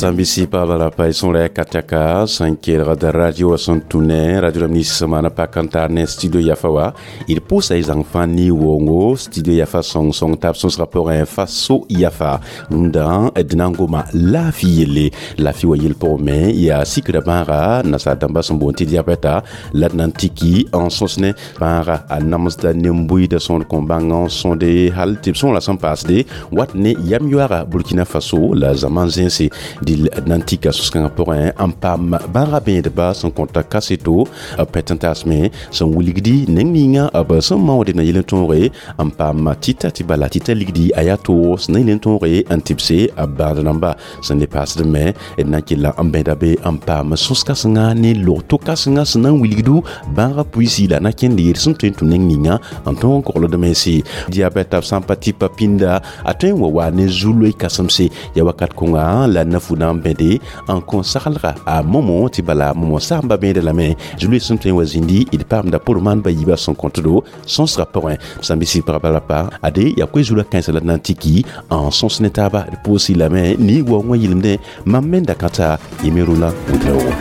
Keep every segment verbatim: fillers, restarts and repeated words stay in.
Sambisi pa sõn kataka sẽn kelgd radio sẽn tũ ne radio rãmb nins sẽn maana pak n tar ne studio Yafa wa d pʋʋsa y zãng fãa ne wongo studio Yafa sõng sõng tab sõsgã pʋgẽ Faso Yafa. Rũndã d na n goma laafɩ yelle, laafɩ wa yel pʋgẽ me yaa sikra bãaga nasaar dãmba sẽn boond tɩ diabɛta la d na n tiki n sõs ne bãaga a namsda nen-buiidã sõor kõ bãng n sõde hal tɩ b sõora sẽn paasde wat ne yam yoaaga Burkina Faso la zaman zẽnse. Dɩl d na n tika sos-kãngã pʋgẽ n paam bãaga bẽedba sẽn kõta kaseto pɛt n taasme sẽn wilgdi neng ninga b sẽn maoode na yel n tõoge n paam tɩta tɩ bala tɩta ligdi a yaa toog sẽn na yel n tõoge n tɩbse b bãad rãmba sẽn le paasd me. D na n kella n bẽda be n paam sõs-kãsenga ne log-to-kãsenga sẽn na n wilgdu bãagã puisi la na kẽnd yel sẽn tõe n tũ neng ninga n tõog n kogld mense. Diabɛta b sã n pa tɩpa pĩnda a tõe n wa wa ne zu-loe kãsemse ya wakat kõnga la nafu na n bẽde n kõ saglga a momo tɩ bala momo saamba bẽeda lame zu-loe sẽn tõe n wa zĩndi. D paamda pʋr maan ba yiibã sẽn kõtdo sõsgã pʋgẽ sãn bɩ sɩ pagba la pa ade yaa koe-zulã kãensã la d na n tiki n sõs ne taaba. D pʋʋsɩ lame ne waoongã yɩlemdẽ mam me da kãta yẽ Rʋlã Wʋdraogo.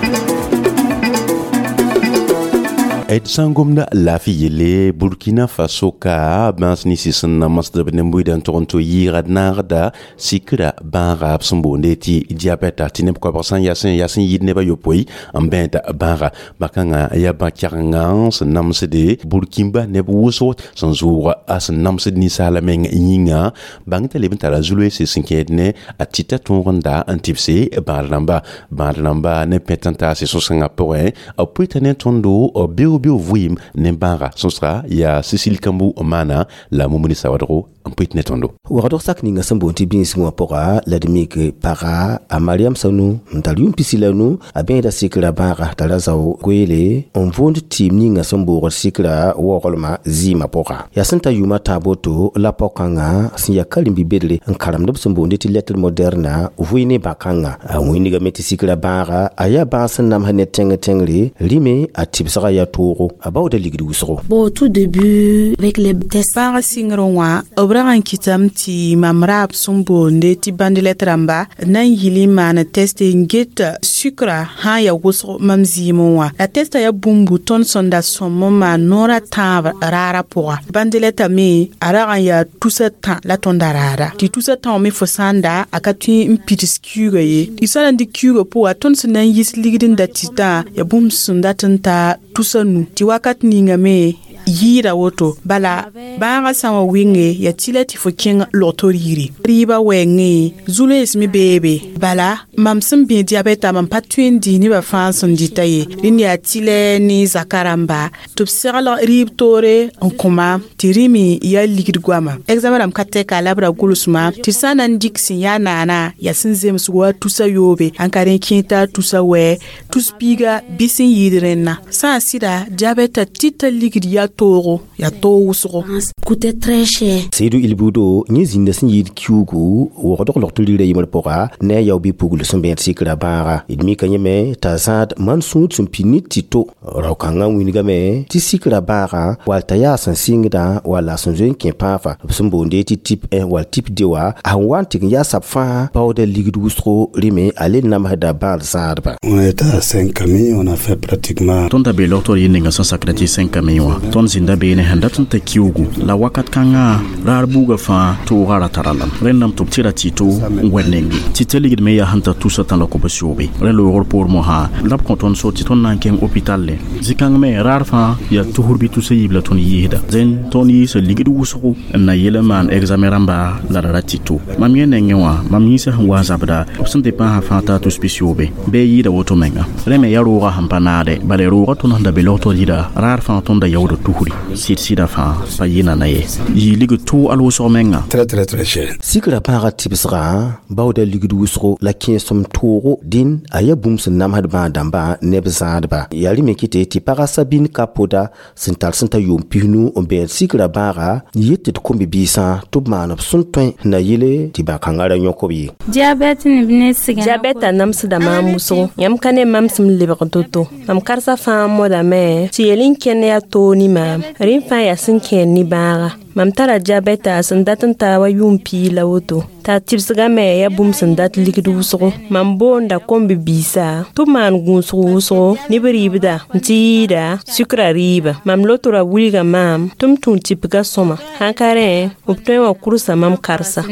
D sã n gomda laafɩ yelle, Burkina Faso ka bãas ninsi sẽn namsd b nen-buiidã n tog n tɩ yɩɩga d naagda sikra bãaga b sẽn boonde tɩ diabɛta tɩ neb koabg sã n yaa sẽn yaa sẽn yɩɩd neb a yopoe n bẽeda bãaga. Bã-kãngã yaa bã-kɛgenga sẽn namsde Burkimba neb wʋsgo sẽn zʋʋg a sẽn namsd ninsaala meng yĩnga bãng t'a leb n tara zu-loeese sẽn kẽed ne a tɩta tõog n da n tɩbse bãad rãmba bãad rãmba ne pɛt n taase sõs-kãngã pʋgẽ b pʋɩta ne tõndo beoog beoog vɩɩm ne bãaga. Sõsga yaa Sisili Kambũ maana la Mumuni Sawadgo n pʋɩt ne tõndo. Wagdg sak ninga sẽn boond tɩ bĩsg wã pʋga la d mik paga a Mariam Sanu n tar yʋʋm pisi la nu a bẽeda sikra bãaga t'a ra zao goeele n võond tɩɩm ninga sẽn boogd sikra waoglmã zɩɩmã pʋga. Yaa sẽn ta yʋʋmã tãab woto la pao-kãngã sẽn yaa karen-bi-bedre n karemd b sẽn boonde tɩ lettre moderne vʋɩ ne bã-kãngã. A wĩnigame tɩ sikra bãaga a yaa bãag sẽn namsd ne tẽng tẽngre rɩme a tɩbsga yaa toogo a baooda ligd wʋsgo. Bon, au tout début, avec les tests, Bãag sɩngr wã b rag n kɩtame tɩ mam raab sẽn boonde tɩ bandɩlɛt rãmba na n yɩl n maan teste n get sukra sã n yaa wʋsg mam zɩɩmẽ wã. La testa yaa bũmbu tõnd sẽn da sõm n maan noor a tãab raarã pʋga. Bandɩlɛta me a rag n yaa tusa tã la tõnda raara tɩ tusa tã wã me fo sã n da a ka tõe n pids kiuugã ye. Tɩ sã na n dɩk kiuugã pʋga tõnd sẽn na n yis ligd n da tɩtã yaa bũmb sẽn dat n ta tusa nu tɩ wakat ninga me yɩɩda woto. Bala bãagã sã n wa wɩnge yaa tɩ la tɩ fo kẽng log-to riiri rɩɩbã wɛɛngẽ zu-loees me beebe. Bala mam sẽn bẽ diabɛta mam pa tõe n dɩ nebã fãa sẽn dɩta ye. Rẽnd yaa tɩlɛ ne zaka rãmba tɩ b segl rɩɩb toore n kõ maam tɩ rẽ me yaa ligd goama. Examen rãmb ka tɛka la b ra gʋlsma tɩ sã n na n dɩk sẽn yaa naana yaa sẽn zems wa tusa yoobe n ka rẽ kẽeta tusa wɛ tus piiga bɩ sẽn yɩɩd rẽnna sã n sɩda diabɛta tɩta ligd yaa toogo yaa toog wʋsgo. Coûtait très cher. Seedu Ilbudo yẽ zĩnda sẽn yɩɩd kiuugu wogdg log tɩ rira yembr pʋga ne a yao bɩ-pugl sẽn bẽed sikra bãaga. D mika yẽme t'a zãad man sũud sẽn pid ne tɩ-to rao-kãngã wĩnigame tɩ sikra bãagã wall t'a yaa sẽn sɩngdã walla sẽn zoe n kẽ pãafa b sẽn boonde tɩ type un wall type deux wã a sẽn wa n tɩg n yaa sab fãa baooda ligd wʋsgo rɩme a le namsda bãad zãadba. On était à cinq camions, on a fait pratiquement. Tõnd da bee logtr yɩ ninga sẽn sakda tɩ cinq camion wã tõnd zĩnda beene sẽn dat n ta kiuugu la wakat kãngã raar buugã fãa toogã ra tara lame rẽndame tɩ b tɩ ra tɩ-to n wɛd nenge tɩ t'a ligd me yaa sẽn ta tusa tã la kobs-yoobe. Rẽ loogr poor mosã la b kõ tõnd so tɩ tõnd na n kẽng hôpital le zĩ-kãng me raar fãa yaa tusr bɩ tusa yiib la tõnd yiisda. Dẽn tõnd yiisa ligd wʋsgo n na yel n maan examen rãmba la ra ra tɩ-to mam yẽ nengẽ wã mam yĩnsã sẽn wa n zabda b sẽn tɩ pãasã fãa taa tus pis-yoobe bɩ yɩɩda woto menga. Rẽ me yaa roogã sẽn pa naade bala roogã tõnd sẽn da be logtr yɩra raar fãa tõnd da yaood tusri sɩd sɩda fãa pa yɩ nana ye yɩ ligd tʋʋg al wʋsg menga. Très très très cher. Sikra pãagã tɩbsgã baooda ligd wʋsgo la kẽesem toogo dĩn a yaa bũmb sẽn namsd bãag dãmbã neb zãadba. Yaa rẽ me kɩte tɩ pagã Sabine Kapoda sẽn tar sẽn ta yʋʋm pisnu n bẽed sikra bãaga yet tɩ d kom-bi-biisã tɩ b maan b sẽn tõe na yele tɩ bã-kãngã ra yõk b ye. Diabɛta namsda maam wʋsgo yãmb ka ne mam sẽm lebg to-to mam karsa fãa modame tɩ yel n kẽnd yaa toog ne maam rẽ fãa yaa sẽn kẽer ne bãaga. Mam tara diabɛta sẽn dat n taa wa yʋʋm piig la woto t'a tɩbsgã me yaa bũmb sẽn dat ligd wʋsgo mam boonda kom-bibiisã tɩ b maan gũusg wʋsgo ne b rɩɩbda n tɩ yɩɩda sukra rɩɩbã mam lotora wilga maam tɩ m tũ tɩpga sõma sãn ka rẽ b tõe n wa kʋrsa mam karsa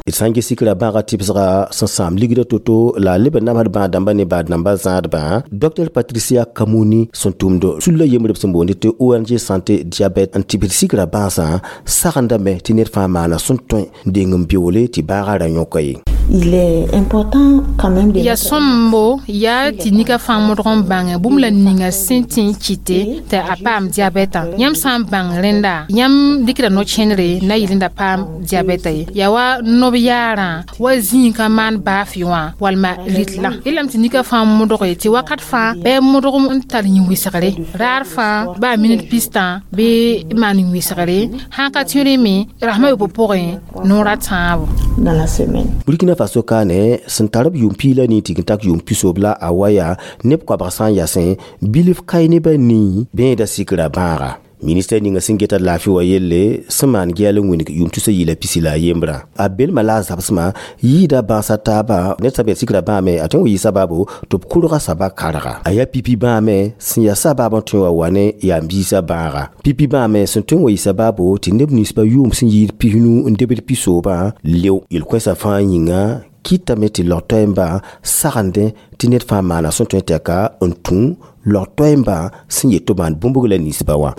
d sã n ges sikra bãaga tɩbsga sẽn sãam ligda to-to la a leb n namsd bãag dãmba ne baad dãmba zãadbã Dr Patricia Kamuni sẽn tʋmd sulla yembrb sẽn boond tɩ O N G Santé Diabète n tɩbsd sikra bãasã sagendame tɩ ned fãa maana sẽn tõe n deng n beoole tɩ baaga ra yõka ye. Il est important quand même de Ya sõmbo yaa tɩ nika fãa modg n bãnge bũmb la ninga sẽn tĩ n kɩte tɩ a paam diabɛtã yãmb sã n bãng rẽnda yãmb dɩkda no-kẽnere na yɩl n da paam diabɛta ye yaa wa nob yaarã wa zĩig ka maan baafɩ wã walma rɩtlã yeelame tɩ nika fãa modge tɩ wakat fãa bɩ modg n tar yĩn-wɩsgre raar fãa baa minit pistã bɩ maan yĩn-wɩsgre sãn ka tõe me rasmã yopoe pʋgẽ noor a tãabo. Dans la semaine. Burkina Faso kaane sẽn tar b yʋʋm piig la nii tɩ n tak yʋʋm pisoob la a wa yaa neb koabg sã n yasẽ bilf kae nebã nii bẽeda sikra bãaga ministɛr ninga sẽn geta laafɩ wa yelle sẽn maan gɛɛl n wĩneg yʋʋm tusa yɩla pisi la a yembrã a belma la a zabsmã yɩɩda bãasa taabã ned sã bɩ sikra bãame a tõe n wa yɩ sabaabo tɩ b kʋrga saba karga a yaa pipi bãame sẽn yaa sabaab n tõe wa wa ne yaa biisã bãaga pipi bãame sẽn tõe n wa yɩ sabaabo tɩ neb ninsbã yʋʋm sẽn yɩɩd pisnu n debd pisoobã leo yel-kõensã fãa yĩnga kɩtame tɩ log-toɛɛmbã sagendẽ tɩ ned fãa maana sẽn tõe tɛka n tũ log-toɛɛmbã sẽn yet tɩ maan bũmbg la ninsbã wã.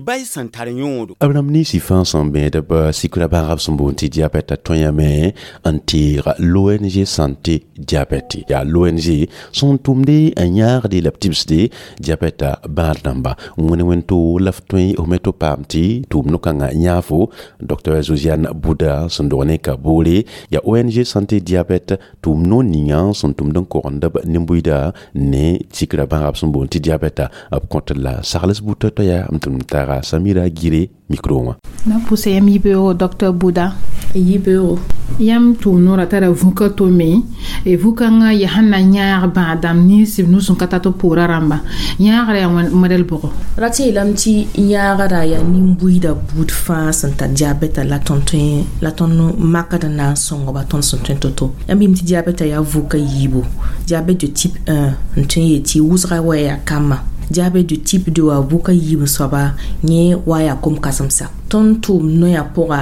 Bay sẽn tar yõodo. Abraham nisi fãa sẽn bẽed b sikra bãagb sẽn boond tɩ diabɛta tõe n teeg l'O N G Santé Diabète yaa l'O N G sẽn tʋmde n yãagde la b tibsde diabɛta bãad dãmba wẽne wẽn-to la f tõe f me tɩ paam tɩ tʋʋm no-kãngã yãafo Dr Josiane Bouda sẽn dog ne ka boore yaa O N G Santé Diabète tʋʋm no ninga sẽn tʋmd n kogend b nin-buiida ne sikra bãagb sẽn boond tɩ diabɛta b kõt la sagls buta t'a yaa m tʋm taaga Samira Gire micro wã. Na pʋsa yam yibeoogo Dr Buda. Yibeoogo. Yãmb tʋʋm noorã tara vũka to me vũ-kãngã yaa sẽn na yãag bãad-dãmb nins b nus n ka tar tɩ pʋʋra rãmba yãagrã yaa modɛl bʋgo. Ra tɩ yeelame tɩ yãagrã yaa nin-buiidã buud fãa sẽn tar diabɛta la tõnd tõe la tõnd makd n na n sõngba tõnd sẽn tõe to-to yãmb yɩm tɩ diabɛta yaa vʋka yiibu diabète de type un n tõe n yet tɩ wʋsga wa yaa kambã diabète de type deux wa vʋka yiib n soaba yẽ wa yaa kom-kãsemsa tõnd tʋʋm noyã pʋga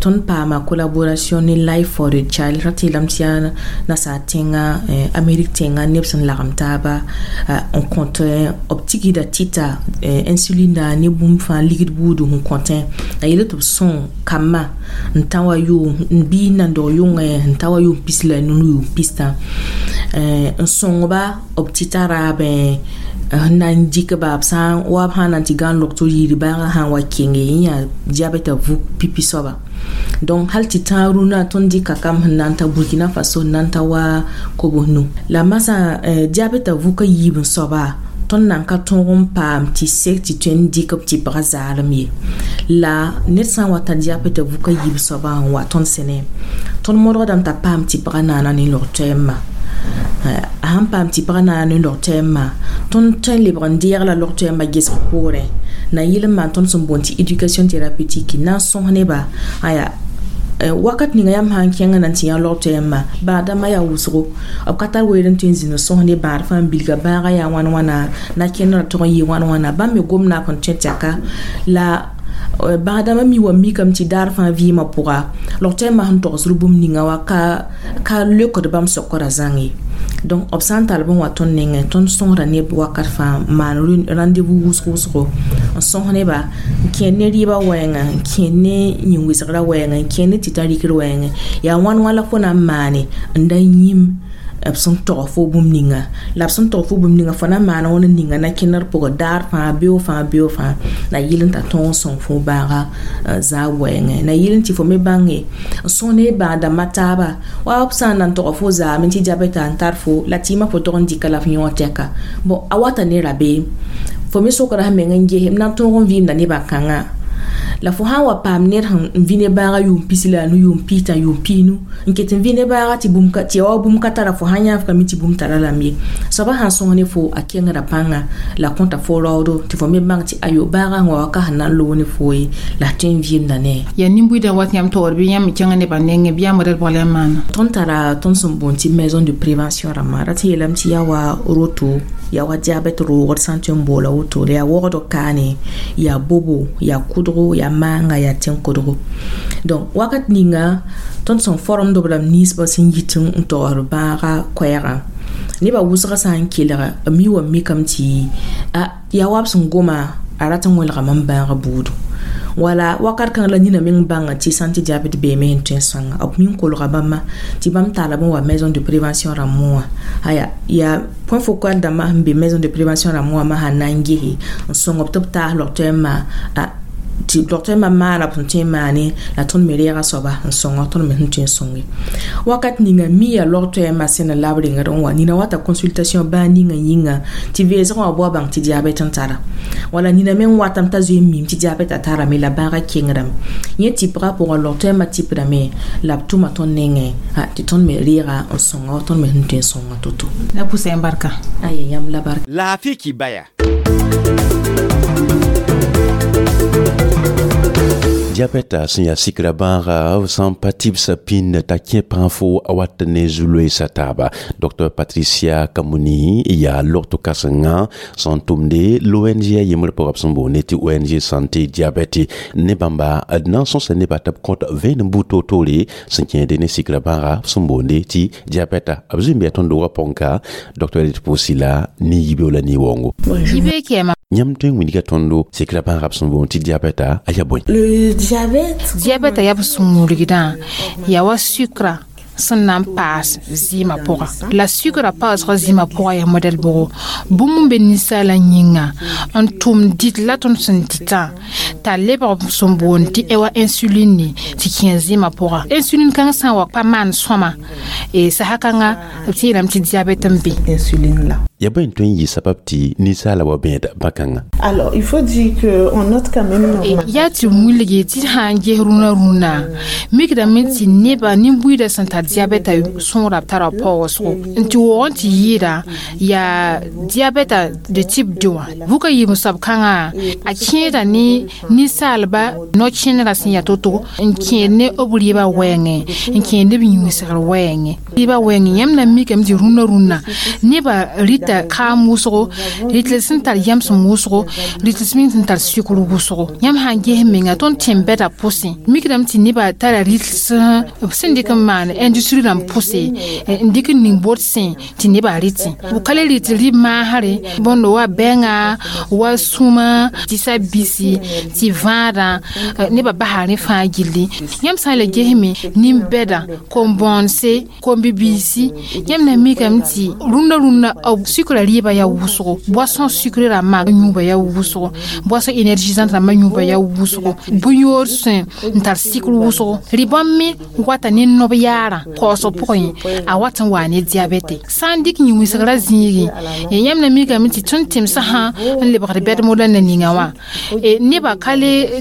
tõnd paama collaboration ne Life for the Child ra tɩ yeelame tɩ yaa nasaar tẽnga Amérique tẽnga neb sẽn lagem taaba n kõt b tigda tɩta insulinda ne bũmb fãa ligd buudu sẽn kõtẽ la yele tɩ b sõng kambã n tã wa yʋʋm n bii n nan dog yʋngẽ n ta wa yʋʋm pis la nunu yʋʋm pistã n sõngba b tɩta raabẽ n na n dɩk ba b sã n wa b sã n na n tɩ gãn log tɩ yir bãagã sã n wa kenge yẽ yaa diabɛta vuk pipi soaba donc hal tɩ tãag rũnã tõnd dɩka kam sẽn na n ta Burkina Faso n na n ta wa kobs-nu la masã diabɛta vʋka yiib n soaba tõnd nan ka tõog n paam tɩ sek tɩ tõe n dɩk b tɩpga zaalem ye la ned sã n wa tar diabɛta vʋka yiib soabã n wa tõnd sẽne tõnd modgdame t'a paam tɩpga naana ne log-toɛɛmbã a sãn paam tɩpga naana ne log-toɛɛmbã tõnd tõe n lebg n deeg la log-toɛɛmbã gesg poorẽ na yɩl n maan tõnd sẽn boond tɩ éducation thérapeutique na n sõs neba aya wakat ninga yãmb sã n kẽngã na n tɩ yã log-toɛɛmbã bãad-dãmbã yaa wʋsgo b ka tar weer n tõe n zĩnd n sõs ne bãad fãa n bilga bãagã yaa wãn wãna na kẽndrã tog n yɩ wãn wãna bãmb me gomda n tõe tɛka la bãad-dãmbã mi wa mikame tɩ daar fãa vɩɩmã pʋga log-toɛɛmbã sẽn togsd bũmb ninga wa ka ka leokd bãmb sokra zãng ye donc b sã n tall b n wa tõnd nengẽ tõnd sõsda neb wakat fãa n maan rendez-vous wʋsg wʋsgo n sõs neba n kẽer ne rɩɩbã wɛɛngã n kẽer ne yĩn-wɩsgrã wɛɛngã n kẽer ne tɩta rɩkr wɛɛngẽ yaa wãn wã la fo na n maane n da yĩm b sẽn tog fo bũmb ninga la b sẽn tog fo bũmb ninga fo na n maana wãn ninga na kẽndr pʋgẽ daar fãa beoog fãa beoog fãa la yɩl n t'a tõog n sõng fo bãaga zaab wɛɛngẽ na yɩl n tɩ fo me bãnge n sõs ne bãag-dãmbã taaba wa b sã n na n tog fo zaame tɩ diabɛta n tar fo la tɩɩmã fo tog n dɩka la f yõog tɛka bon a wata ne rabeem fo me sokra sẽn meng n ges m na n tõog n vɩɩmda nebã kãngã. La fo sãn wa paam ned sẽn n vĩ ne bãaga yʋʋm pisi la a nu yʋʋm pistã yʋʋm piinu n ket n vĩ ne bãaga tɩ bũmb tɩ ya wa bũmb ka tara fo sãn yãaf ka mi tɩ bũmb tara lame ye soaba sãn sõs ne fo a kengra pãnga la kõta fo raoodo tɩ fo me bãng tɩ ayo bãagã sẽn wa waka sẽn na n loog ne fo ye la tõe n vɩɩmda ne yaa nin-buiidã wat yãmb taoor bɩ yãmb me kẽngã nebã nengẽ bɩ yãmb modɛl bõg la yãmb maana tõnd tara tõnd sẽn boond tɩ maison de prévention rãmbã rat n yeelame tɩ yaa wa roto yaa wa diabɛt roogd sã n tõe n boola woto la yaa wogdg kaane yaa bobo yaa kʋdgo yaa maanga yaa tẽn-kodgo donc wakat ninga tõnd sẽn formd b rãmb ninsbã sẽn yit n togsd bãaga koɛɛgã nebã wʋsgã sã n kelga b mi wa mikame tɩ a yaa wa b sẽn goma a rat n wẽlgame n bãag buudu wala wakat kãng la nina meng bãnga tɩ sã n tɩ diabɛt beeme sẽn tõe n sõnga b min kolga bãmba tɩ bãmb taalame n wa maison de prévention rãmbẽ wã aya yaa point focal dãmbã sẽn be maison de prévention rãmbẽ wã ma sãn na n gese n sõng b tɩ b taas log-toɛɛm ma a tɩ log-toɛɛmã maana b sẽn tõe n maane la tõnd me reega soaba n sõnga tõnd me sẽn tõe n sõnge wakat ninga mi yaa log-toɛɛmã sẽn la b rengd n wa nina wata consultation bãa ninga yĩnga tɩ veesgã wã bao bãng tɩ diabɛt n tara wala nina meng watame t'a zoe n mim tɩ diabɛt a tarame la bãagã kengrame yẽ tɩpgã pʋgã log-toɛɛmã tɩpdame la b tʋma tõnd nengẽ tɩ tõnd me reega n sõnga tõnd me sẽn tõe n sõnga to-to la pʋsa yãmb barka aya yãmb la barka laafɩ kibaya Diabɛta sẽn yaa sikra bãaga b sã n pa tɩbsã pĩnd t'a kẽ pãag fo a wat ne zu-loeesa taaba Docteur Patricia Kamuni yaa logto kãsenga sẽn tʋmde l'O N G a yembr pʋgã b sẽn boonde tɩ O N G Santé Diabɛte ne bãmba d na n sõsa nebã tɩ b kõt vẽenem buud toor-toore sẽn kẽede ne sikra bãaga b sẽn boonde tɩ diabɛta b zoe n bɩa tõnd doogã pʋgẽ docteur d pʋʋsi la ne yibeo la ne-waoongo yibe kɛɛma yãmb tõe n wilga tõndo sikra bãaga b sẽn boond tɩ diabɛta a yaa bõe Le diabète diabɛta yaa b sũ-murgdã yaa wa sukra sẽn na n paas zɩɩmã pʋga la sukra paasgã zɩɩmã pʋga yaa modɛl bʋgo bũmb n be ninsaalã yĩnga n tʋm dɩt la tõnd sẽn dɩtã t'a lebg sẽn boond tɩ wa insuline tɩ kẽ zɩɩmã pʋga insuline kãng sã n wa pa maan sõma sasa kãnga b tɩ yeelame tɩ diabɛt n be insuline là. Ya bõe n tõe n yɩ sabab tɩ ninsaala wa bẽeda bã-kãngã Alors, il faut dire qu'on note quand même une yaa tɩ wilge tɩ sã n ges rũnã rũnã mikdame tɩ nebã nin-buiidã sẽn tar diabɛta sõora b tara paoosgo n tɩ waoog n tɩ yɩɩda yaa diabɛta de type deux wã vʋka yiim soab kãngã a kẽeda ne ninsaalba no-kẽnegrã sẽn yaa to-to n kẽed ne b rɩɩbã wɛɛngẽ n kẽed ne b yĩnsgr wɛɛngẽ rɩɩbã wɛɛngẽ yãmb na n mikame tɩ rũnã rũnã nebã rɩta kaam wʋsgo rɩtl sẽn tar yamsem wʋsgo rɩtl me sẽn tar sukr wʋsgo yãmb sã n ges menga tõnd tẽn-bɛda pʋsẽ mikdame tɩ nebã tara rɩtl b sẽn dɩk n maan industrie rãmb pʋse n dɩk n ning bot sẽ tɩ nebã rɩtẽ b ka le rɩt rɩ maasre bõndo wa bɛnga wa sũma tɩ sa bisi tɩ vãadã nebã basa rẽ fãa gilli yãmb sã n le gesme nin-bɛda kom-bõonse kom-bibiisi yãmb na mikame tɩ rũndã rũndã b sukra rɩɩbã yaa wʋsgo boisson sucré rãmbã yũuba yaa wʋsgo boisson énergisante rãmbã yũuba yaa wʋsgo bõn-yoor sẽ n tar sɩkr wʋsgo rɩ-bãmb me wata ne nob yaarã kaoosg pʋgẽ a wat n waa ne diabɛte sã n dɩk yĩn-wɩsgrã zĩigẽ yãmb na mikame tɩ tõnd tẽmsã sã n lebgd bɛd-modã na ninga wã nebã ka le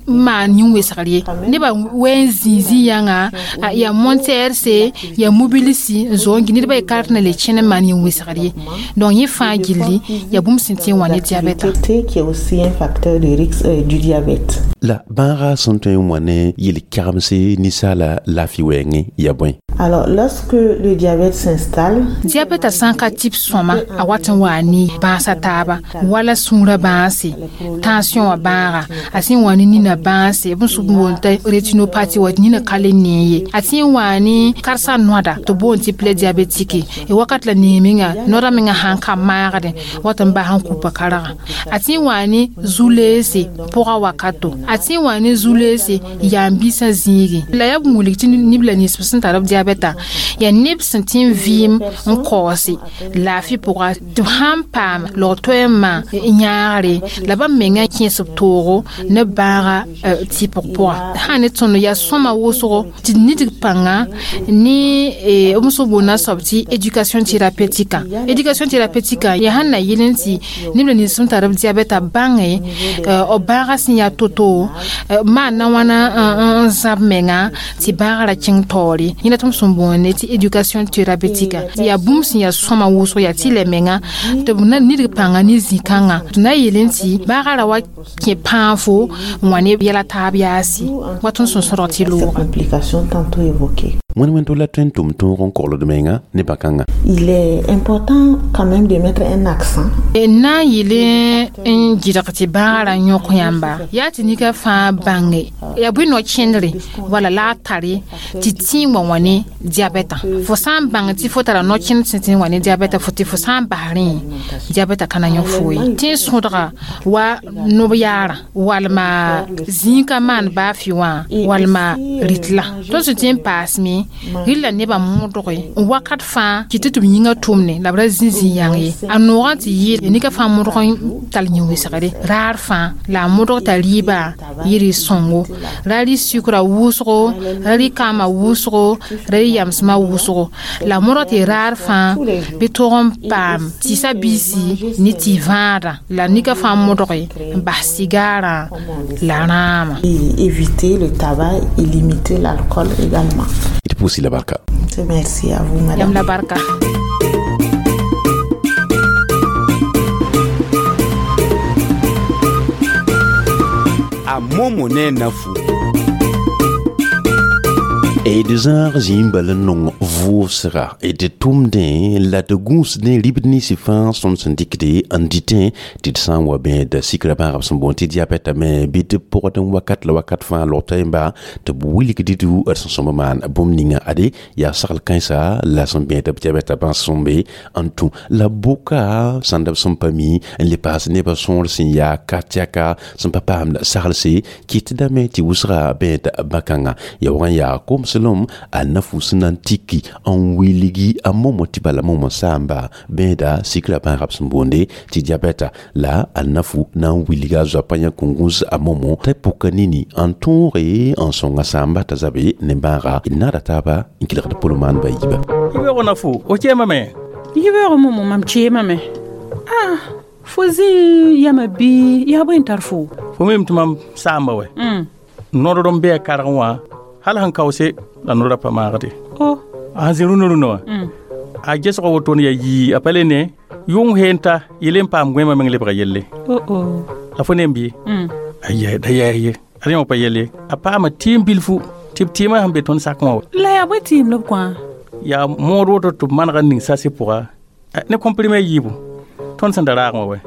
maan yĩn-wɩsgr ye nebã wɛ n zĩig zĩ-yãnga yaa montɛɛrse yaa mobilisi n zo n gɩ nedbã y kart na le kẽn n maan yĩn-wɩsgr ye donc yẽ fãa gilli yaa bũmb sẽn tɩ n wa ne diabɛta qui est aussi un facteur de risque euh, du diabète. La bãaga sẽn tõe n wa ne yel-kɛgemse ninsaala laafɩ wɛɛngẽ yaa bõe Alors, lorsque le diabète s'installe, diabɛta sã n ka tɩp sõma a wat n waa ne bãasa taaba wala sũurã bãase tension wã bãaga a sẽn wa ne nina bãase b sʋk n boond t'a rétinopathie wa nina ka le nee ye a sẽn waa ne karsa noada tɩ boond tɩ plaie diabétique wakat la nee menga noada menga sãn ka maagdẽ wat n bas n kupa kargã a sẽn waa ne zu-leese pʋga wakato a sẽn waa ne zu-leese yaam-biisã zĩigẽ la yaa b wilg tɩ neb la nins sẽn tar b diabɛta yaa neb sẽn tɩ n vɩɩm n kaoose laafɩ pʋga tɩ b sãn paam log-toɛɛmã yãagre la bãmb menga kẽes b toogo ne bãaga tɩpg pʋga sã ne tõnd yaa sõma wʋsgo tɩ nidg pãnga ne b sẽn boonda soab tɩ éducation thérapeutique éducation thérapeutique yaa sãn na yɩl n tɩ neb la nins sẽn tar b diabɛta bãnge b bãaga sẽn yaa to-to woto maan na wãna n zãb menga tɩ bãagrã kẽng taoore yẽna tɩ m sẽn boonde tɩ éducation thérapeutique yaa bũmb sẽn yaa sõma wʋsg yaa tɩ la menga tɩ b na nidg pãnga ne zĩ-kãngã tɩ na yeelẽ tɩ bãagrã ra wa kẽ pãafo n wa ne yɛla taab yaasi wa tõnd sẽn sõdg tɩ looga. Complications tantôt évoquées. Wẽnd wẽnd la tõe n tʋm tõog n kogld menga ne bãkãngã. Il est important quand même de mettre un accent. Na n yɩl n gɩdg tɩ bãagrã yõk yãmba yaa tɩ nika fãa bãnge yaa bõe no-kẽndre wala la a tare tɩ tĩig wã wã ne diabɛtã fo sã n bãng tɩ fo tara no-kẽnd sẽn tɩ wa ne diabɛta fo tɩ fo sã n bas rẽ diabɛta ka na yõk fo ye tɩ n sõdga wa nob yaarã walma zĩig ka maan baa fɩ wã walma rɩtla tõnd sẽn tɩ n paasme rɩla nebã modge n wakat fãa kɩ tɩ tɩ b yĩngã tʋmne la b ra zĩ zĩ-yãng ye a noogã tɩ yɩɩl nika fãa modg n tall yĩn-wɩsgre raar fãa la a modg t'a rɩɩbã yɩ sõngo ra rɩ sukra wʋsgo ra rɩ kãama wʋsgo ra rɩ yamsmã wʋsgo la modg tɩ raar fãa bɩ tog n paam tɩsa biisi ne tɩ vãadã la nika fãa modge n bas sigaarã la rãamã. Éviter le tabac et limiter l'alcool également. D pʋʋs la barka. Merci à vous, madame. Yam la barka. A momo ne nafu. D zãag zĩig bal n nong vʋʋsga d tʋmdẽ la d gũusdẽ ribd nins fãa sõnd sẽn dɩkde n dɩtẽ tɩ d sã n wa bẽed sikra bãagb sẽn boond tɩ diabɛta me bɩ d pʋgd n wakat la wakat fãa logta yemba tɩ b wilgd d sẽn sõm maan bũmb ninga ade yaa sagl kãensa la sẽn bẽed b diabɛta bãs sẽn be n tũ la bʋka sãnd b sẽn pa mi n le paas nebã sõor sẽn yaa ka tɛka sẽn pa paamd saglse kɩtdame tɩ wʋsga bẽed bãkãngã ya wag n yaa komslem a nafu sẽn na n tiki n wilgi a momo tɩ bala momo saamba bẽeda sikra bãagb sẽn boonde tɩ diabɛta la a nafu na n wilga a zoapa yã kõn-gũs a momo t'a pʋka nini n tõoge n sõnga saamba t'a zabe ne bãaga d naada taaba n kelgd pʋlmaan ba yiiba. Yibeoog nafu o kẽemame? Yibeoog momo mam kẽemame. Ah, fo zĩ yama bɩ yaa bõe n tar fo? Fo mim tɩ mam saamba wɛ nodr n bɩa kargẽ wã hal sẽn kaoose la nora pa maagde. Oh. A sẽn zĩ rũnã rũnã wã a gesg wotone yaa yii a pa le ne yʋng heen ta yel n paam gõeemã meng lebga yelle. Oh, oh. La fo ne n bɩ aya da yaa ye a rẽ wã pa yelle a paama tɩɩm bilfu tɩ b tɩɩmã sẽn be tõnd sakẽ wã. La yaa bõe tɩɩm la b kõ? Yaa mood woto tɩ b manega n ning sase pʋga ne comprimé yiibu tõnd sẽn da raagẽ wã wɛ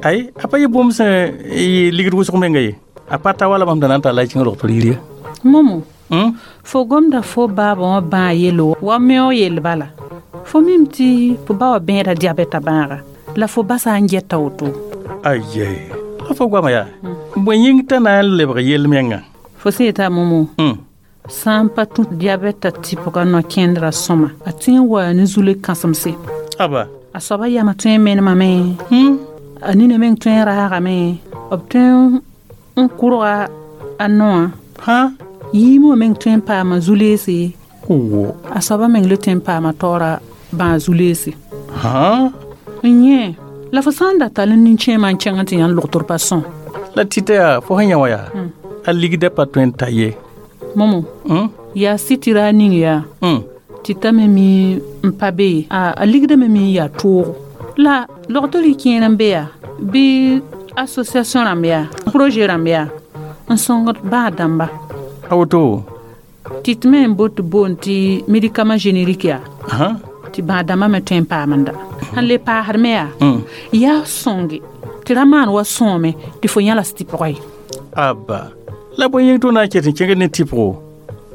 ay a pa yɩ bũmb sẽn yɩ ligd wʋsg menga ye a pa ta wala mam da na n tara la y kẽng rogtr yir ye. Momo, fo gomda fo baabã wã bãa yelo wa meoog yell bala fo mim tɩ fo ba wã bẽeda diabɛta bãaga la fo basa n gɛta woto. Aye, la fo goama yaa bõe yĩng t'a na n lebg yell menga? Fo sẽn yeta momo sã n pa tũ diabɛta tɩpga no-kẽndrã sõma a tõe n waa ne zule kãsemse. Aba a soaba yamã tõe n menemame a nina meng tõe n raagame b tõe n kʋrga a noã hã yiimã meng tõe n paama zu-leese a soaba meng le tõe n paama taoora bãa zu-leese. N yẽ la fo sã n da tall n nin-kẽemã n kẽng n tɩ yãnd logtr pa sõm. La tɩta yaa fo sẽn yã wã yaa a ligda pa tõe n ta ye. Momo, yaa sɩtɩra ning yaa tɩ t'a me mi n pa be ye a ligda me mi n yaa toogo la logtr y kẽer n be yaa bɩ association rãmb yaa projet rãmb yaa n sõngd bãa dãmba. A woto tɩ tɩ me n bot tɩ boond tɩ médicament générique yaa tɩ bãa dãmbã me tõe n paamenda sẽn le paasd me yaa yaa sõnge tɩ ra maan wa sõome tɩ fo yãlas tɩ pʋgã ye. Aba la bõe yĩng tɩ na n ket n kẽngd ne tɩpgo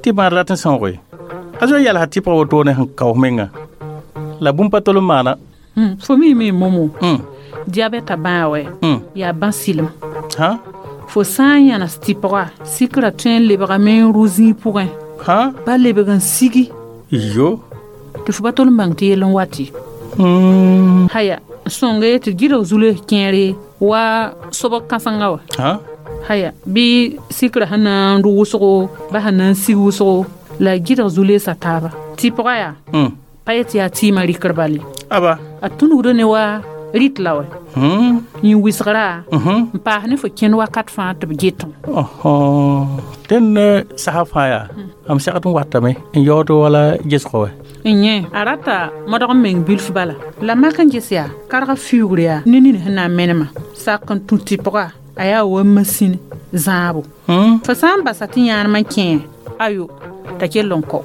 tɩ bãad rat n sõoge a zoe yalsa tɩpga wotone sẽn kaoos menga la bũmb pa tol n maana. Fo mime momo diabɛta bãa wɛ yaa bã sɩlem fo sã n yãnes tɩpga sikra tõe n lebgame n rʋ zĩig pʋgẽ ba lebg n sigi yo tɩ fo pa tol n bãng tɩ yell n wati. Haya sõnge tɩ gɩdg zules kẽere wa sobg kãsenga wa haya bɩ sikra sẽn na n rʋ wʋsgo ba sẽn na n sig wʋsgo la gɩdg zu-leesa taaba tɩpga yaa pa yet yaa tɩɩmã rɩkr bale aba a tũnugda ne wa Rit la wɛ yĩn wɩsgra n paas ne fo kẽnd wakat fãa tɩ b getẽ dẽn sasa fãa yaa m segd n watame n yaood wala gesgo wɛ n yẽ a rata modg n meng bilf bala la mak n ges yaa karg fiuugr yaa ne nin sẽn na n menema sak n tũ tɩpga a yaa wa masĩn zãabo fo sã n basa tɩ yãanemã kẽe ayo t'a kell n kao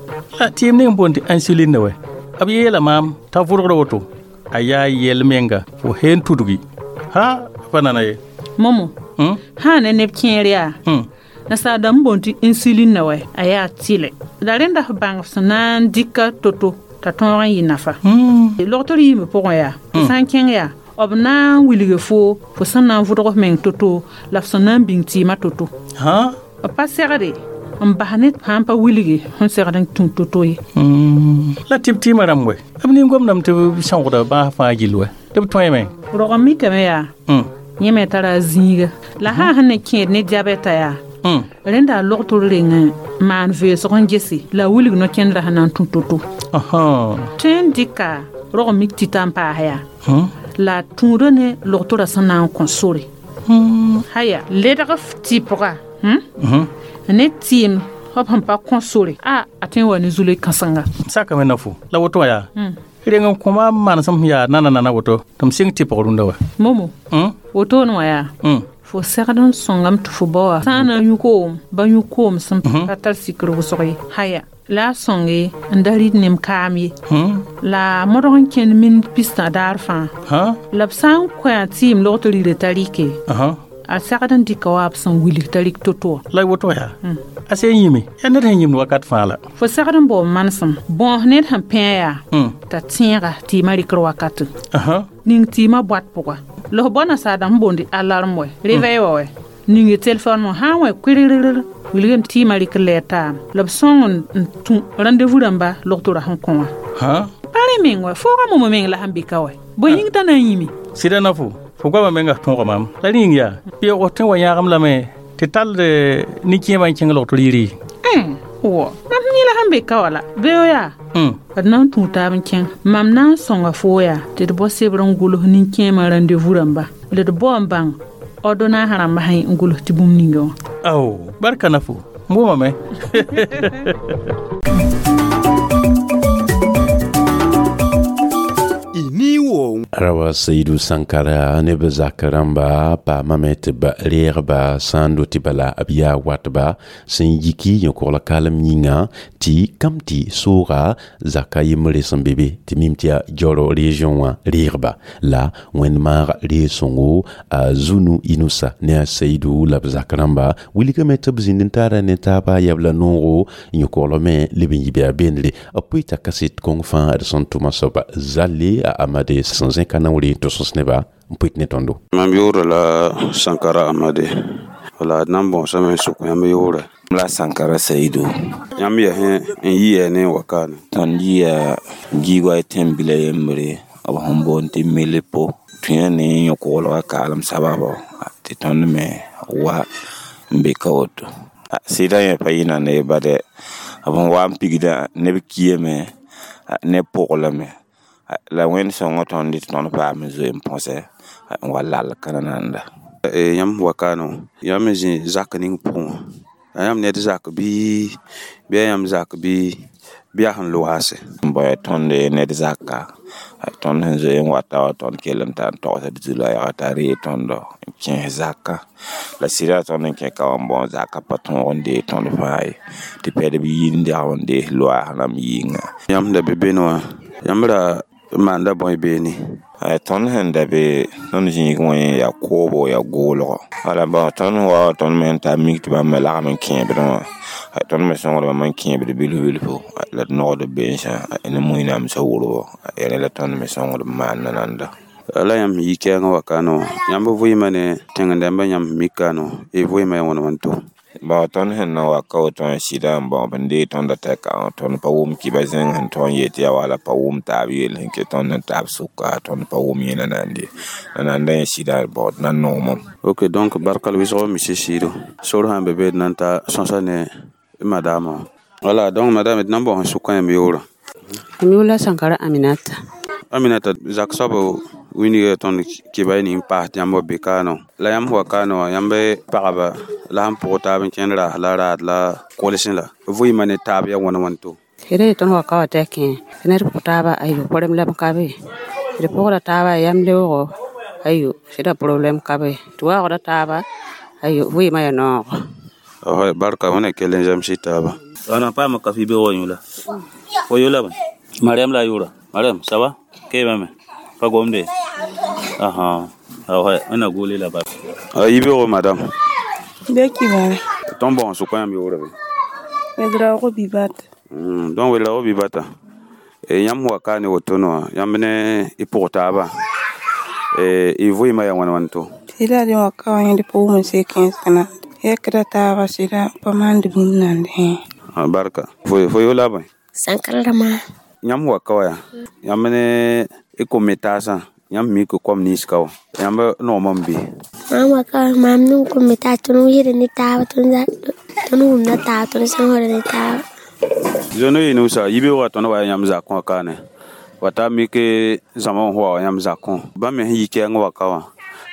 tɩɩm ning n boond tɩ insuline wɛ b yeela maam t'a vʋrgr woto a yaa yɛl menga fo heen tudgi ha pa nana ye momo sã ne neb kẽer yaa nasaar dãmb boond tɩ insuline na wɛ a yaa tɩlɛ la rẽnda f bãng f sẽn na n dɩka to-to t'a tõog n yɩ nafa logtr yiimb pʋgẽ yaa f sã n kẽng yaa b na n wilge fo fo sẽn na n vʋdg f meng to-to la f sẽn na n bĩng tɩɩmã to-to b pa segde n bas ne sã n pa wilge sẽn segd n tũ to-to ye la tɩ b tɩɩmã rãmb wɛ b nin-gomdame tɩ b sõgda bãas fãa gill wɛ tɩ b tõeme rog n mikame yaa yẽ me tara a zĩiga la sã sẽn ne kẽed ne diabɛta yaa rẽnda a logtr reng n maan veesg n gese la a wilg no-kẽndrã sẽn na n tũ to-to tõe n dɩka rog n mik tɩta n paas yaa la a tũuda ne logtorã sẽn na n kõ sore haya ledg f tɩpga ne tɩɩm b sẽn pa kõ sore a a tõe n wa ne zule kãsenga sakame na fo la woto wã yaa reng n kõma manesem sẽn yaa nana nana woto tɩ m sɩng tɩpg rũndã wa momo wotone wã yaa fo segd n sõngame tɩ fo bao wã sã n na n yũ koom ba yũ koom sẽn pa tar sikr wʋsg ye haya la a sõnge n da rɩd nem kaam ye la modg n kẽnd mind pistã daar fãa la b sã n kõ a tɩɩm log tɩ rɩɩra t'a rɩke a segd n dɩka wa b sẽn wilg t'a rɩk to-to wã la woto yaa a sẽn yĩme yaa ned sẽn yĩmd wakat fãa la fo segd n bao manesem bõos ned sẽn pẽ yaa t'a tẽega tɩɩmã rɩkr wakate ning tɩɩmã boat pʋga la f bao nasaar dãmb boond alarm wɛ réveil wã wɛ ninge telefon wã sã n wẽ kʋɩrrr wilgame tɩɩmã rɩk lɛɛr taam la b sõng n tũ rendez-vous rãmba logtorã sẽn kõ wã pa rẽ meng wɛ fooga momo meng la sẽn be ka wɛ bõe yĩng t'a na n yĩme sɩda na fo fo goamã menga tõoga maam la rẽ yĩng yaa beoog tõe n wa yãagem lame tɩ tall nin-kẽemã n kẽng logtr yiri wɔ mam yẽla sẽn be ka wã la beo yaa d na n tũu taab n kẽng mam na n sõnga foo yaa tɩ d bao sebr n gʋls nin-kẽemã rendez-vous rãmba la d bao n bãng ordonnance rãmba sẽn n gʋls tɩ bũmb ninga wã ao barka na fo n wʋmame Rawa Seydou Sankara ne b zak rãmba paamame tɩ b reegba sã n do tɩ bala b yaa watba sẽn yiki yõ-kogl kalem yĩnga tɩ kam tɩ sooga zaka yembre sẽn be be tɩ mim tɩ yaa Joro région wã reegba la wẽnd maag reeg-sõngo a Zunu Inusa ne a Seydou la b zak rãmba wilgame tɩ b zĩnd n taara ne taaba yabla noogo yõ-koglg me leb n yi bɩ a beendre b pʋɩ t'a kaset kõng fãa d sẽn tʋma soaba zalle a Amade sẽn zẽka naoore n tʋs neba n pʋɩt ne tõndo mam yʋʋra la Sankara Amade wala d na n bõosame n sʋk yãmb yʋʋrɛ la Sankara Seydou yãmb yaa n yɩa ne n wa kaane tõnd yɩa giigoa tẽn-bila yembre b sẽn boond tɩ Milipo tõe ne yõ-koglgã kaalem sababo tɩ tõnd me wa n be ka woto sɩdã yẽ pa yɩ nanda ye bade b sẽn wa n pigdã neb kiame neb pʋglame la wẽnd sõngã tõnd tɩ tõnd paam n zoe n põsɛ n wa lall ka nananda yãmb wa kaane yãmb n zĩ zak ning pʋgẽ wã la yãmb ned zak bɩ bɩ yaa yãmb zak bɩ bɩ yaa sẽn loaase n bao tõnd ned zaka tõnd sẽn zoe n wata wa tõnd kell n tar n togsd zu-loɛɛga t'a ree tõndo n kẽes zaka la sɩda tõnd n kẽ ka wã n bõo zaka pa tõog n dee tõnd fãa ye tɩ pɛdb yi n dɛg n dees loaas rãmb yɩnga yãmb da be bene wã yãmb ra maanda bõe beene tõnd sẽn da be tõnd zĩig wã yaa koobo yaa goolgo wala bõ tõnd wa tõnd me n tar mik tɩ bãmb me lagm n kẽebdẽ wã tõnd me sõngd bãmb n kẽebd bilf bilfo la d nogd bensã ne mũinamsã wʋrbo yaa rẽ la tõnd me sõngd n maan nananda la yãmb yi kɛɛngã wa kaane wã yãmb vɩɩmã ne tẽng-dãmbã yãmb mik kaane wã y vɩɩmã yaa wãn wãn to Bon, tõnd sẽn na wa ka woto wã sɩda n bão b n dee tõnda tɛka wã tõnd pa wʋm kiba zẽng sẽn tõog n yet tɩ yaa wala pa wʋm taab yell sẽn ket tõnd n taab sʋka tõnd pa wʋm yẽ nanande nananda yẽ sɩda bao d na n noomame ok donc barkal wɩsg monsieur Seydou sor sãn be be d na n ta sõsa ne madame wã wala donc madame d na n bao sẽn sʋka yãmb yʋʋrã M yʋʋr la Sankara Aminata Aminata zak soab Wini tõnd kɩba y ning paas tɩ yãmb wa be kaano la yãmb wa kaano wã yãmb pagba la sẽn pʋg taab n kẽnd raas la raad la kolsẽ la vɩɩmã ne taab yaa wãn wãn to sɩda ye tõnd wa ka wa tɩ a kẽ tɩ ned pʋg taaba ayo problème la b ka be d pʋgda taaba yam leoogo ayo sɩda problème ka be tɩ waoogda taaba ayo vɩɩmã yaa noogo. Barka wẽna kell n zãmsɩ taaba. Ana paama kafi be wa yũla fo yola bãe Mariam la a yʋʋra Mariam ça va keebame pa gomde aha awa wẽna gʋʋle la bala a yibeoogo madame. Be kibare. Tõnd bõos sʋka yãmb yoore be? Wedraogo Bibata. Donc Wedraogo Bibata yãmb wa ka ne woto wã yãmb ne y pʋg taaba y vɩɩmã yaa wãn wãn to? Sɩda dẽ wa ka wã yẽd pʋʋm n sek kẽensg yɛkda taaba sɩda pa maand bũmb nand hẽ. Barka fo yola bõe? Sankara rãmba. Yãmb wa ka wa yaa yãmb ne y kom taasã yãmb mik kom nins ka wã yãmb noom n be? Mam wa ka mam ning kom taas tõnd wɩsda ne taaba tõnd wʋmda taaba tõnd sõsda ne taaba. Zono yi nusa yibeoogã tõnd wa yaa yãmb zakẽ wã kaane wa ta mik zãma n wa yãmb zakẽ bãmb me sẽn yi kɛɛng wa ka wã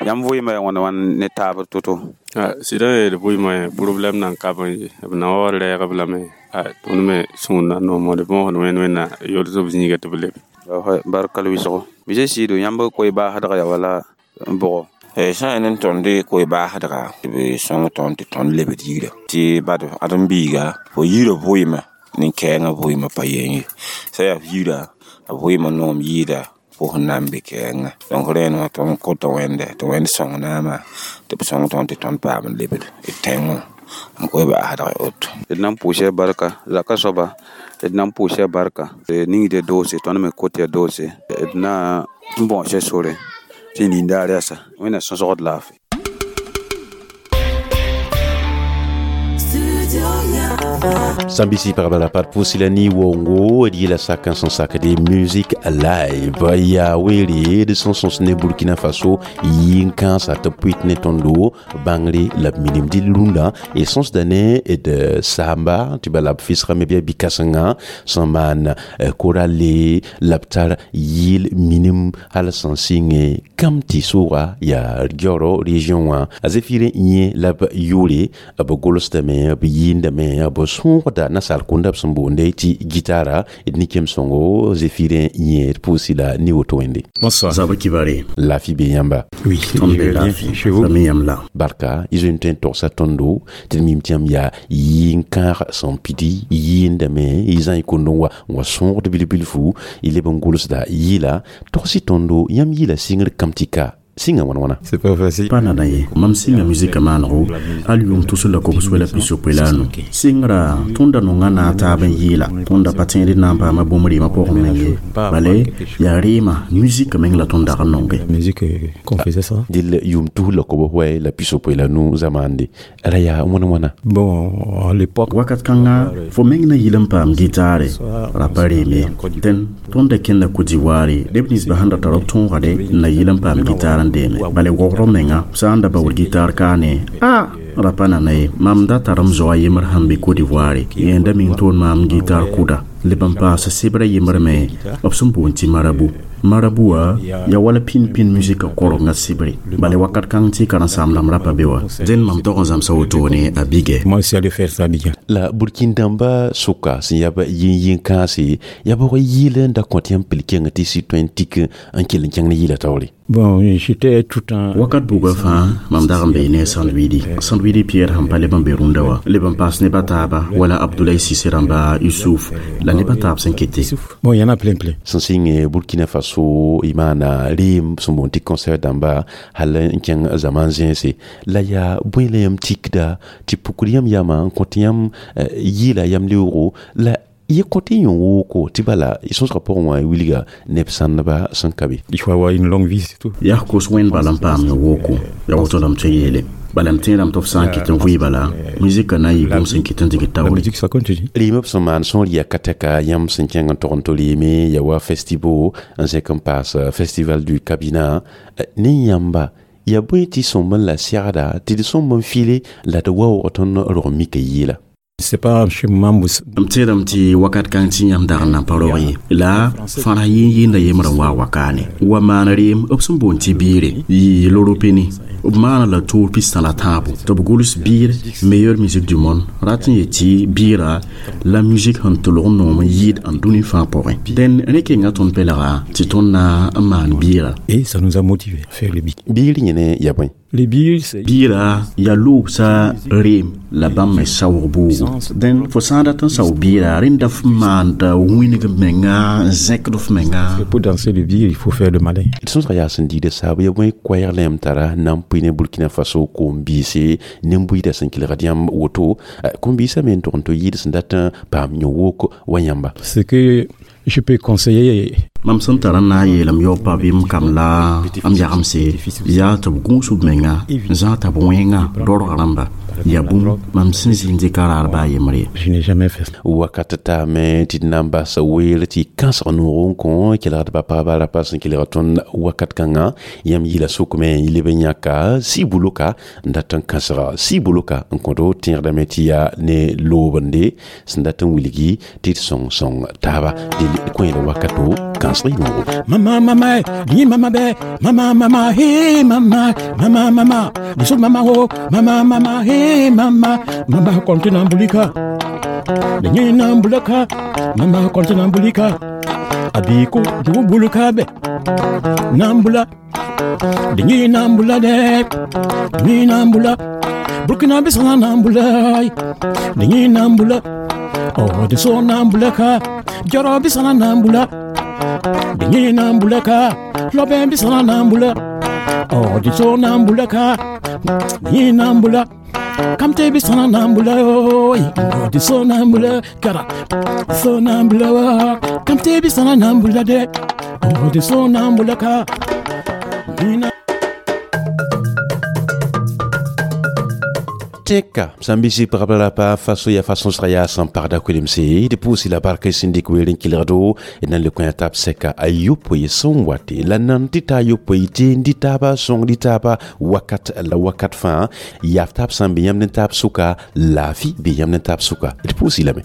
yãmb vɩɩmã yaa wãn wãn ne taab to-to? Sɩda yeel vɩɩmã problème nan ka b ye b na wa rɛɛg b lame tõnd me sũur na noomd bõosd wẽnd wẽnna yols b zĩiga tɩ b lebe. Barka la wɩsgo bɩ sɩɩdo yãmb koe-baasdga yaa wala n bʋgɔ? Sã n yaa ne tõnd koe-baasdga tɩ b sõng tõnd tɩ tõnd lebd yira tɩ bad ãdem-biiga fo yirã vɩɩmã nin-kɛɛngã vɩɩmã pa yen ye sã yaa f yira a vɩɩmã noom yɩɩda pʋs n na n be kɛɛngã donc rẽnd wã tõnd kota wẽnde tɩ wẽnd sõng naama tɩ b sõng tõnd tɩ tõnd paam n lebd d tẽngẽ n koe-baasdg woto. D na n pʋʋsa barka zaka soaba d na n pʋʋsa barka ningde doose tõnd me kot yaa doose d na n bõosa sore tɩ nindaar yasa wẽnna sõsgd laafɩ. Sambisi pagba la pat pʋʋs la ne wongo d yɩla sak n sẽn sakd musique live yaa weere d sẽn sõs ne Burkina Faso yĩn-kãensa tɩ b pʋɩt ne tõndo bãngre la b minim dɩl rũndã d sõsda ne d saamba tɩ bala b fisgame bɩ a bi-kãsengã sẽn maan korale la b tar yɩɩl minim hal sẽn sɩnge kam tɩ sooga yaa Dioro région wã a Zefire yẽ la b yʋʋre b golsdame b yɩɩndame b sõogda nasaal kũnda b sẽn boonde tɩ gitara d nikem sõngo Zéphirin yẽ d pʋʋsi la ne woto wẽnde. Bonsoir. Zabr kibare. Lafi be yãmba. Oui, tõnd be lafi. Same yãmb la. Barka y zoe n tõe n togsa tõndo tɩ d mim tɩ yãmb yaa yɩ-kãag sẽn pidi yɩɩndame y zã y kond n wa n wa sõogd bilf-bilfu y leb n gʋlsda yɩɩla togs-y tõndo yãmb yɩɩla sɩngr kam tɩ ka sɩnga wãn wãna. C'est pas facile. Pa nana ye mam sɩnga musika maanego hal yʋʋm tus la kobs wela pisopoe la anu sɩngra tõnda nonga na a taab n yɩɩla tõnda pa tẽed na n paama bũmb rɩɩmã pʋgẽ meng ye bale yaa rɩɩmã musika meng la tõnd dag n nonge. Musique qu'on faisait ça. Dɩl yʋʋm tus la kobs wɛ la pisopoe la nu zamaande ra yaa wãn wãna. Bon, à l'époque wakat kãnga fo meng na yɩl n paam gitaare ra pa reeme dẽn tõnda kẽnda Côte-d'Ivoire neb ninsbã sẽn da tar b tõogade n na yɩl n paam gitaar n deeme bale wogr menga sã n da baood gitaar kaane a ra pa nana ye mam da tar m zoa yembr sẽn be Côte-d'Ivoire yẽnda meng toon maam gitaar kʋda leb n paas sebra yembr me b sẽn boond tɩ marabu marabu wã yaa wala pĩn-pĩn musika korengã sebre bale wakat kãng tɩ karen-saam rãmb ra pa be wa dẽn mam tog n zãmsa wotone a bigɛ. Moi aussi aller faire ça Abidjan. La Burkin dãmba sʋka sẽn yaa yĩn-yĩn-kãase yaa bʋg yɩɩl n da kõt yãmb pil kẽng tɩ sɩ tõe n tik n kell n kẽng ne yɩɩla taoore. Bon, j'étais tout en wakat buga fãa mam dag n bee ne Sandwidi Sandwidi Pierre sẽn pa leb n be rũndã wã leb n paas neb a taaba wala Abdoulaye Cissé rãmba Yusuf la neb a taab sẽn kete. Bon, il y en a plein plein. Sẽn sɩng Burkina Faso y maana reem sẽn boond tɩ concert dãmba hal n kẽng zaman zẽnse la yaa bõe la yãmb tikda tɩ pukr yãmb yama n kõt yãmb yɩɩla yam leoogo la y kõt y yõ wooko tɩ bala y sõsgã pʋgẽ wã wilga neb sãndba sẽn ka be. Il faut avoir une longue vie, c'est tout. Yaa kos wẽnd bala n paam yõ wooko yaa woto la m tõe yeele bala m tẽedame tɩ f sã n ket n vɩɩ bala musika na n yɩ bũmb sẽn ket n dɩg La taoore. musique, ça continue. Rɩɩmã b sẽn maan sõor yaa ka tɛka yãmb sẽn kẽng n tog n tol yeeme yaa wa festival n zẽk n paas festival du Kabina ne yãmba yaa bõe tɩ sõmb n la segda tɩ d sõmb n fɩle la d waoog tõnd rog mika yɩɩla. C'est pas chez Mambous. M tẽedame tɩ wakat kãng tɩ yãmb dag n na pa rog ye la fãra yeen yenda yembrã wa wakaane wa maan reem b sẽn boond tɩ biire yɩ loropeni b maana la toor pistã la tãabo tɩ b gʋls biir meilleure musique du monde rat n yet tɩ biirã la musique sẽn tʋlg n noom n yɩɩd n dũni fãa pʋgẽ dẽn rẽ kenga tõnd pɛlga tɩ tõnd na n maan biirã. Et ça nous a motivé à faire le bir. Biir yẽne ya bõe? Les bir, c'est biirã yaa loobsa reem la bãmb me saoog boogo dẽn fo sã n dat n sao biirã rẽnda f maanda wĩneg menga n zẽkd f menga. Pour danser le bir, il faut faire le malin. D sõsga yaa sẽn diida saab ya bõe koɛɛg la yãmb tara na n pʋɩ ne Burkina Faso kom-biise nin-buiidã sẽn kelgd yãmb woto kom-biisã me n tog n tɩ yɩɩd sẽn dat n paam yõ-wok wa yãmba. Ce que je peux conseiller, mam sẽn tar n na n yeelame yao pa bɩ m kam la m yagemse yaa tɩ b gũus b menga n zãag t'a b wẽnga dorg rãmba yaa bũmb mam sẽn zĩnd dɩka raar baa yembre. Je n'ai jamais fait ça. Wakat taame tɩ d na n bas weel tɩ kãsg noog n kõ kelgd pa pagba rapa sẽn kelg tõnd wakat kãngã yãmb yɩla sʋkme n leb n yãka sɩ-buloka n dat n kãsga sɩ-buloka n kõto tẽegdame tɩ yaa ne loobende sẽn dat n wilgi tɩ d sõng sõng taaba dɩ kõ la wakato kãsg y noogo. Mama, mama, ni mama be, mama, mama, hey, mama, mama, mama, ni mama ho, mama, mama, hey, mama, mama, kontina bulika, ni nambulaka, mama, kontina bulika, abiko, du bulika be, nambula, ni nambula de, ni nambula, Burkina bisana nambula, ni nambula, oh, de so nambulaka, joro bisana nambula, dingi nambulaka, loben bisana nambula, oh, di so nambulaka, ni nambula, kamte bisana nambula, oh, di so nambula, kara, so nambula, kamte bisana nambula de, oh, di so nambulaka, ni na Teka sambisi pagabla pa faso ya façon sraya san parda kulimse de pousi la barka sindik werin kilado e nan le coin tap seka ayupo ye son wate la nan tita yupo ite ndita ba son ndita ba wakat la wakat fin yaf tap sambi yam tap suka la fi bi yam tap suka de pousi la me.